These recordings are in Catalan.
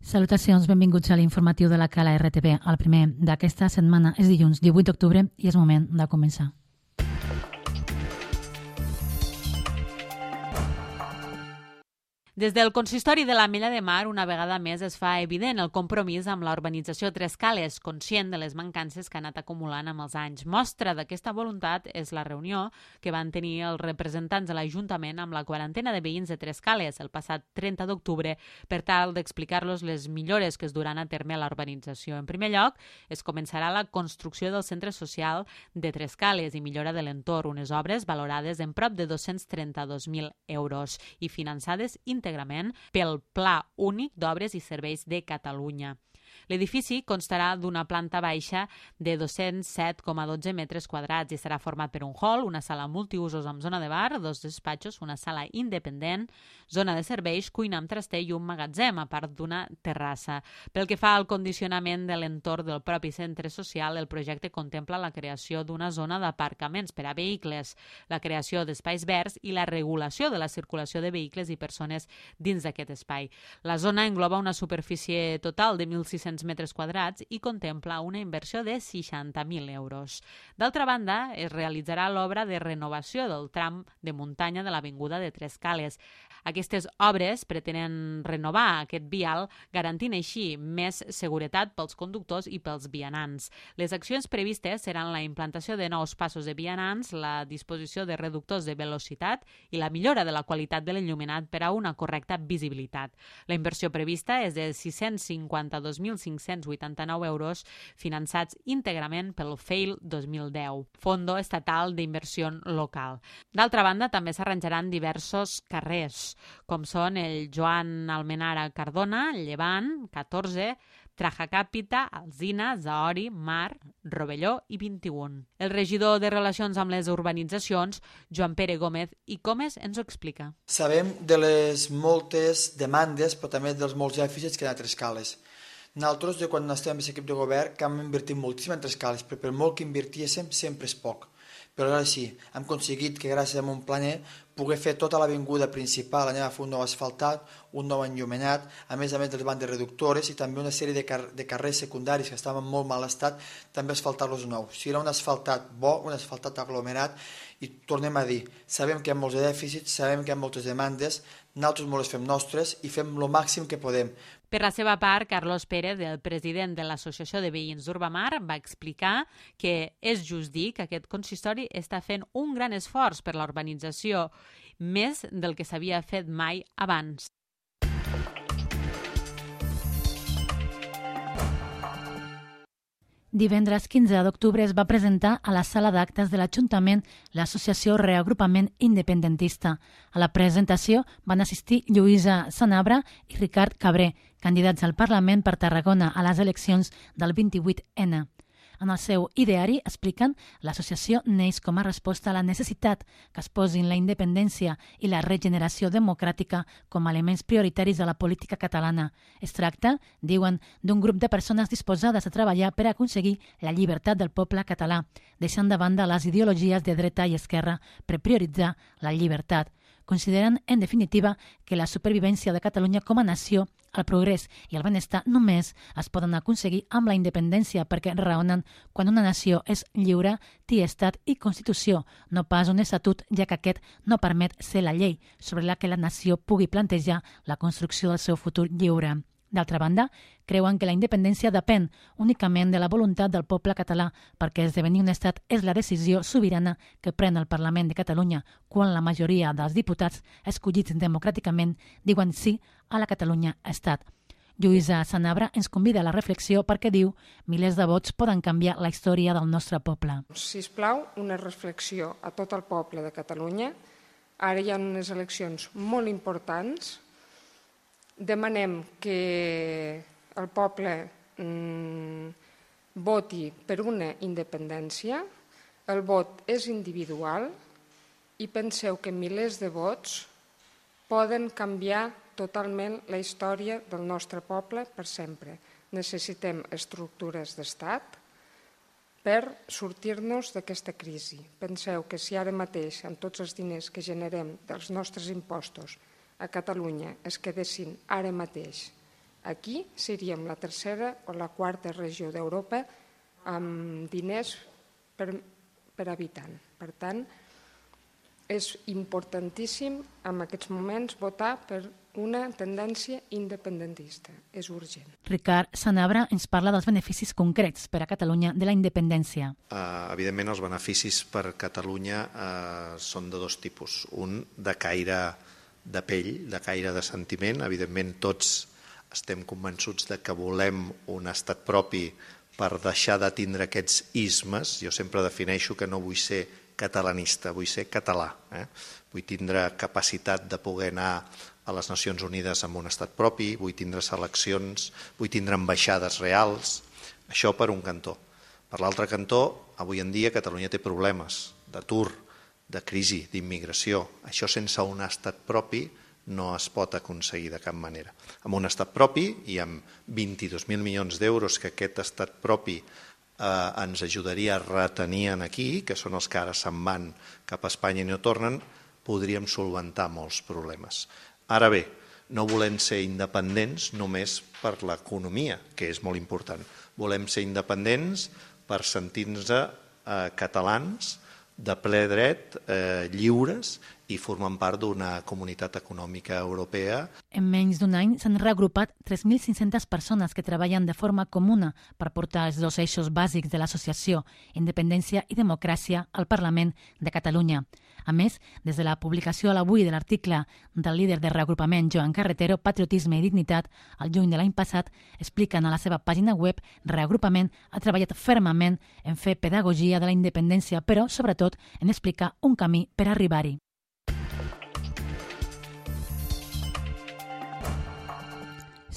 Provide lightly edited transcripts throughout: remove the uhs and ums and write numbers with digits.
Salutacions, benvinguts a l'informatiu de la Cala RTV. El primer d'aquesta setmana és dilluns 18 d'octubre i és moment de començar. Des del Consistori de l'Ametlla de Mar, una vegada més es fa evident el compromís amb la urbanització Tres Cales, conscient de les mancances que ha anat acumulant amb els anys. Mostra d'aquesta voluntat és la reunió que van tenir els representants de l'Ajuntament amb la quarantena de veïns de Tres Cales el passat 30 d'octubre per tal d'explicar-los les millores que es duran a terme a la urbanització. En primer lloc, es començarà la construcció del centre social de Tres Cales i millora de l'entorn, unes obres valorades en prop de 232.000 euros i finançades íntegrament pel Pla Únic d'Obres i Serveis de Catalunya. L'edifici constarà d'una planta baixa de 207,12 metres quadrats i serà format per un hall, una sala multiusos amb zona de bar, dos despatxos, una sala independent, zona de serveis, cuina amb traster i un magatzem, a part d'una terrassa. Pel que fa al condicionament de l'entorn del propi centre social, el projecte contempla la creació d'una zona d'aparcaments per a vehicles, la creació d'espais verds i la regulació de la circulació de vehicles i persones dins d'aquest espai. La zona engloba una superfície total de 1.600 metres quadrats i contempla una inversió de 60.000 euros. D'altra banda, es realitzarà l'obra de renovació del tram de muntanya de l'Avinguda de Tres Cales. Aquestes obres pretenen renovar aquest vial, garantint així més seguretat pels conductors i pels vianants. Les accions previstes seran la implantació de nous passos de vianants, la disposició de reductors de velocitat i la millora de la qualitat de l'enllumenat per a una correcta visibilitat. La inversió prevista és de 652.589 euros, finançats íntegrament pel FEIL 2010, Fondo Estatal d'Inversió Local. D'altra banda, també s'arranjaran diversos carrers, com són el Joan Almenara Cardona, Llevant, 14, Trajacàpita, Alzina, Zaori, Mar, Rovelló i 21. El regidor de Relacions amb les Urbanitzacions, Joan Pere Gómez i Comes, ens ho explica. Sabem de les moltes demandes, però també dels molts dèficits que hi ha a Tres Cales. Nosaltres, quan estem en l'equip de govern, que hem invertit moltíssim en Tres Cales, però per molt que invertíssim sempre és poc. Però ara sí, hem aconseguit que gràcies a un planer poder fer tota l'avinguda principal, anem a fer un nou asfaltat, un nou enllumenat, a més dels bandes reductores i també una sèrie de carrers secundaris que estaven en molt mal estat, també asfaltar-los nous. Si era un asfaltat bo, un asfaltat aglomerat, i tornem a dir, sabem que hi ha molts dèficits, sabem que hi ha moltes demandes, nosaltres molt les fem nostres i fem el màxim que podem. Per la seva part, Carlos Pérez, el president de l'Associació de Veïns d'Urbamar, va explicar que és just dir que aquest consistori està fent un gran esforç per la urbanització, més del que s'havia fet mai abans. Divendres 15 d'octubre es va presentar a la sala d'actes de l'Ajuntament l'associació Reagrupament Independentista. A la presentació van assistir Lluïsa Sanabra i Ricard Cabré, candidats al Parlament per Tarragona a les eleccions del 28N. En el seu ideari expliquen l'associació neix com a resposta a la necessitat que es posin la independència i la regeneració democràtica com a elements prioritaris de la política catalana. Es tracta, diuen, d'un grup de persones disposades a treballar per aconseguir la llibertat del poble català, deixant de banda les ideologies de dreta i esquerra per prioritzar la llibertat. Consideren, en definitiva, que la supervivència de Catalunya com a nació, el progrés i el benestar només es poden aconseguir amb la independència perquè raonen quan una nació és lliure, té estat i constitució, no pas un estatut, ja que aquest no permet ser la llei sobre la que la nació pugui plantejar la construcció del seu futur lliure. D'altra banda, creuen que la independència depèn únicament de la voluntat del poble català perquè esdevenir un estat és la decisió sobirana que pren el Parlament de Catalunya quan la majoria dels diputats escollits democràticament diuen sí a la Catalunya estat. Lluïsa Sanabra ens convida a la reflexió perquè diu milers de vots poden canviar la història del nostre poble. Sisplau, una reflexió a tot el poble de Catalunya. Ara hi ha unes eleccions molt importants. Demanem que el poble voti per una independència. El vot és individual i penseu que milers de vots poden canviar totalment la història del nostre poble per sempre. Necessitem estructures d'estat per sortir-nos d'aquesta crisi. Penseu que si ara mateix, amb tots els diners que generem dels nostres impostos, a Catalunya es quedessin ara mateix Aquí seríem la tercera o la quarta regió d'Europa amb diners per habitant. Per tant, és importantíssim en aquests moments votar per una tendència independentista. És urgent. Ricard Sanabra ens parla dels beneficis concrets per a Catalunya de la independència. Evidentment, els beneficis per Catalunya són de dos tipus. Un de caire de pell, de caire de sentiment. Evidentment, tots estem convençuts de que volem un estat propi per deixar de tindre aquests ismes. Jo sempre defineixo que no vull ser catalanista, vull ser català. Vull tindre capacitat de poder anar a les Nacions Unides amb un estat propi, vull tindre seleccions, vull tindre ambaixades reals. Això per un cantó. Per l'altre cantó, avui en dia Catalunya té problemes d'atur, de crisi, d'immigració. Això sense un estat propi no es pot aconseguir de cap manera. Amb un estat propi i amb 22.000 milions d'euros que aquest estat propi ens ajudaria a retenir aquí, que són els que ara se'n van cap a Espanya i no tornen, podríem solventar molts problemes. Ara bé, no volem ser independents només per l'economia, que és molt important. Volem ser independents per sentir-nos catalans de ple dret, lliures i formant part d'una comunitat econòmica europea. En menys d'un any s'han reagrupat 3.500 persones que treballen de forma comuna per portar els dos eixos bàsics de l'associació, independència i democràcia, al Parlament de Catalunya. A més, des de la publicació a l'avui de l'article del líder de reagrupament Joan Carretero, Patriotisme i Dignitat, al juny de l'any passat, expliquen a la seva pàgina web, Reagrupament ha treballat fermament en fer pedagogia de la independència, però, sobretot, en explicar un camí per arribar-hi.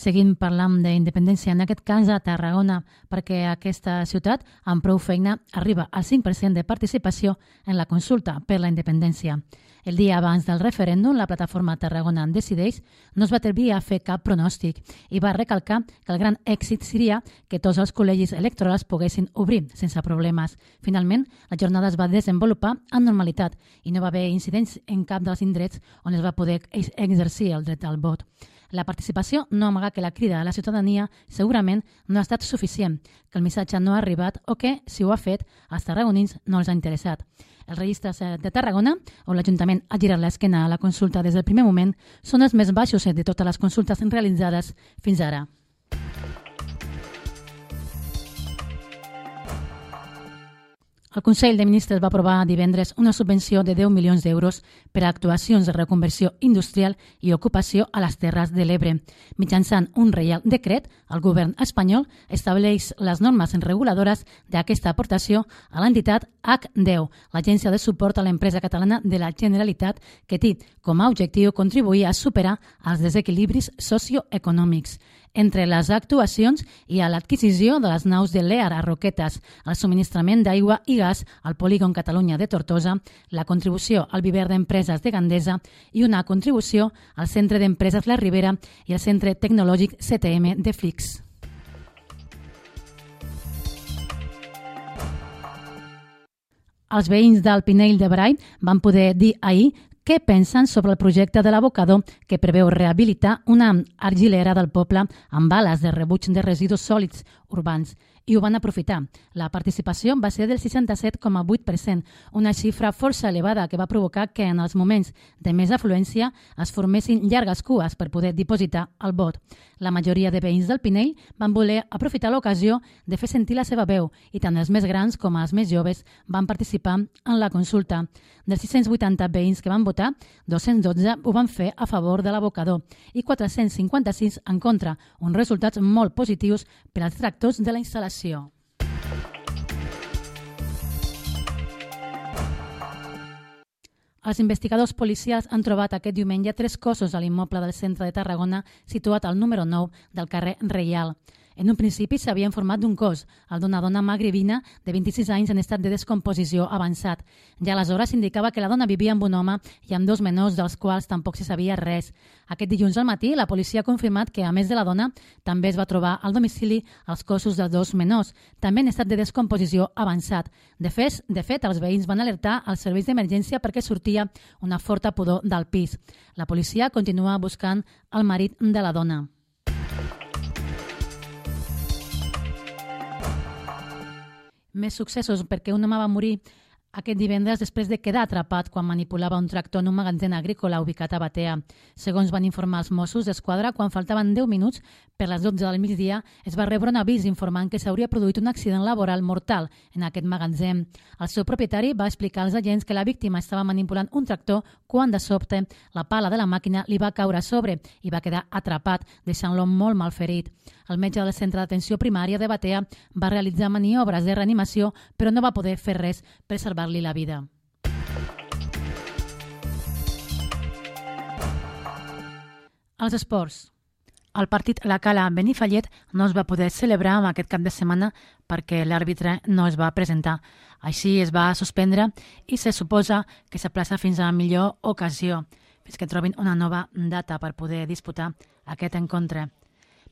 Seguim parlant d'independència, en aquest cas a Tarragona, perquè aquesta ciutat, amb prou feina, arriba al 5% de participació en la consulta per la independència. El dia abans del referèndum, la plataforma Tarragona Decideix no es va atrevir a fer cap pronòstic i va recalcar que el gran èxit seria que tots els col·legis electorals poguessin obrir sense problemes. Finalment, la jornada es va desenvolupar amb normalitat i no va haver incidents en cap dels indrets on es va poder exercir el dret al vot. La participació no amaga que la crida a la ciutadania segurament no ha estat suficient, que el missatge no ha arribat o que, si ho ha fet, als tarragonins no els ha interessat. Els registres de Tarragona, on l'Ajuntament ha girat l'esquena a la consulta des del primer moment, són els més baixos de totes les consultes realitzades fins ara. El Consell de Ministres va aprovar divendres una subvenció de 10 milions d'euros per a actuacions de reconversió industrial i ocupació a les Terres de l'Ebre. Mitjançant un reial decret, el govern espanyol estableix les normes reguladores d'aquesta aportació a l'entitat H10, l'Agència de Suport a l'Empresa Catalana de la Generalitat, que té com a objectiu contribuir a superar els desequilibris socioeconòmics. Entre les actuacions hi ha l'adquisició de les naus de l'EAR a Roquetes, el subministrament d'aigua i gas al polígon Catalunya de Tortosa, la contribució al viver d'empreses de Gandesa i una contribució al Centre d'Empreses La Ribera i al Centre Tecnològic CTM de Flix. Els veïns del Pinell de Brai van poder dir ahir què pensen sobre el projecte de l'abocador que preveu rehabilitar una argilera del poble amb bales de rebuig de residus sòlids urbans. I ho van aprofitar. La participació va ser del 67,8%, una xifra força elevada que va provocar que en els moments de més afluència es formessin llargues cues per poder dipositar el vot. La majoria de veïns del Pinell van voler aprofitar l'ocasió de fer sentir la seva veu i tant els més grans com els més joves van participar en la consulta. Dels 680 veïns que van votar, 212 ho van fer a favor de l'abocador i 456 en contra, uns resultats molt positius per als tractors de la instal·lació. Els investigadors policials han trobat aquest diumenge 3 cossos a l'immoble del centre de Tarragona situat al número 9 del carrer Reial. En un principi s'havia informat d'un cos, el d'una dona magribina de 26 anys en estat de descomposició avançat. Ja aleshores s'indicava que la dona vivia amb un home i amb 2 menors dels quals tampoc se sabia res. Aquest dilluns al matí la policia ha confirmat que, a més de la dona, també es va trobar al domicili els cossos de 2 menors, també en estat de descomposició avançat. De fet, els veïns van alertar als serveis d'emergència perquè sortia una forta pudor del pis. La policia continua buscant el marit de la dona. Més successos perquè un home va morir aquest divendres després de quedar atrapat quan manipulava un tractor en un magatzem agrícola ubicat a Batea. Segons van informar els Mossos d'Esquadra, quan faltaven 10 minuts per les 12 del migdia, es va rebre un avís informant que s'hauria produït un accident laboral mortal en aquest magatzem. El seu propietari va explicar als agents que la víctima estava manipulant un tractor quan de sobte la pala de la màquina li va caure a sobre i va quedar atrapat, deixant-lo molt malferit. El metge del centre d'atenció primària de Batea va realitzar maniobres de reanimació, però no va poder fer res per salvar-li la vida. Els esports. El partit La Cala-Benifallet no es va poder celebrar aquest cap de setmana perquè l'àrbitre no es va presentar. Així es va suspendre i se suposa que s'aplaça fins a millor ocasió, fins que trobin una nova data per poder disputar aquest encontre.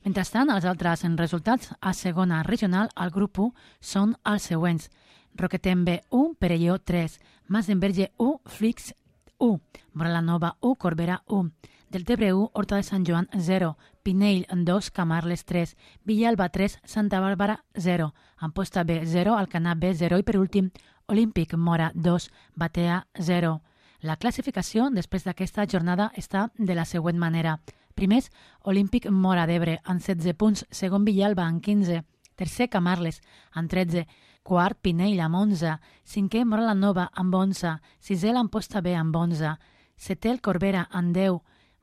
Mentrestant, els altres resultats a segona regional al grup 1 són els següents. Roquetembe 1, Perelló 3, Masdenverge 1, Flix 1, Moralanova 1, Corbera 1, Deltebre 1, Horta de Sant Joan 0, Pinell 2, Camarles 3, Villalba 3, Santa Bàrbara 0, Amposta B 0, Alcanar B 0 i per últim Olímpic Mora 2, Batea 0. La classificació després d'aquesta jornada està de la següent manera. Primers, Olímpic Mora d'Ebre amb 16 punts, segon Villalba amb 15, tercer Camarles amb 13, quart Pinell amb 11, cinquè Moralanova amb 11, sisè l'Amposta B amb 11, setè el Corbera amb 10,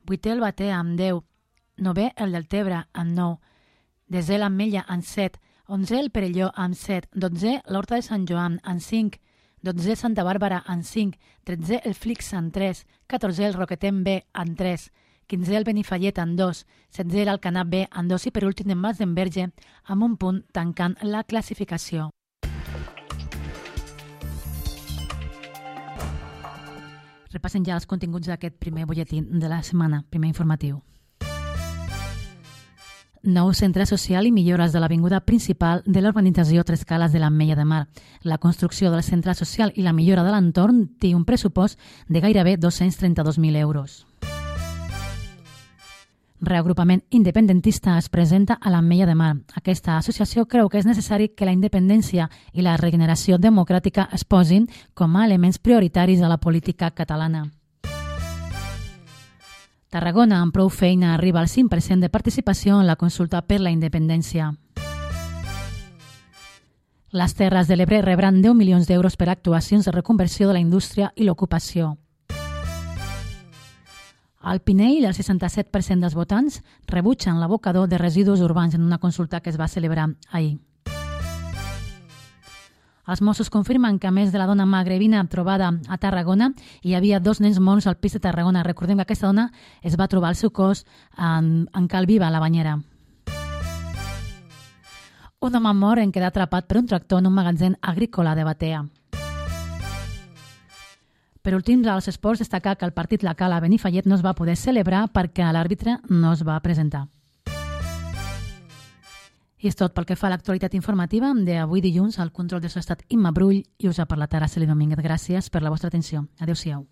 vuitè el Batea amb 10, novè el Deltebre amb 9, desè l'Ametlla amb 7, 11è el Perelló amb 7, 12è l'Horta de Sant Joan amb 5, 12è Santa Bàrbara amb 5, 13è el Flix amb 3, 14è el Roquetem B amb 3, 15è el Benifallet amb 2, 16è l'Alcanar B amb 2 i per últim el Masdenverge amb un punt tancant la classificació. Repassen ja els continguts d'aquest primer butlletí de la setmana, primer informatiu. Nou centre social i millores de l'avinguda principal de l'urbanització Tres Cales de l'Ametlla de Mar. La construcció del centre social i la millora de l'entorn té un pressupost de gairebé 232.000 euros. Reagrupament independentista es presenta a l'Ametlla de Mar. Aquesta associació creu que és necessari que la independència i la regeneració democràtica es posin com a elements prioritaris de la política catalana. Tarragona, amb prou feina, arriba al 5% de participació en la consulta per la independència. Les Terres de l'Ebre rebran 10 milions d'euros per actuacions de reconversió de la indústria i l'ocupació. Al Pinell, el 67% dels votants rebutgen l'abocador de residus urbans en una consulta que es va celebrar ahir. Els Mossos confirmen que, a més de la dona magrebina trobada a Tarragona, hi havia 2 nens morts al pis de Tarragona. Recordem que aquesta dona es va trobar el seu cos en cal viva a la banyera. Un home mort en quedar atrapat per un tractor en un magatzem agrícola de Batea. Per últim, als esports, destacar que el partit La Cala-Benifallet no es va poder celebrar perquè l'àrbitre no es va presentar. I és tot pel que fa a l'actualitat informativa d'avui dilluns. Al control de so ha estat Imma Brull i us ha parlat ara Celi Domínguez. Gràcies per la vostra atenció. Adéu-siau.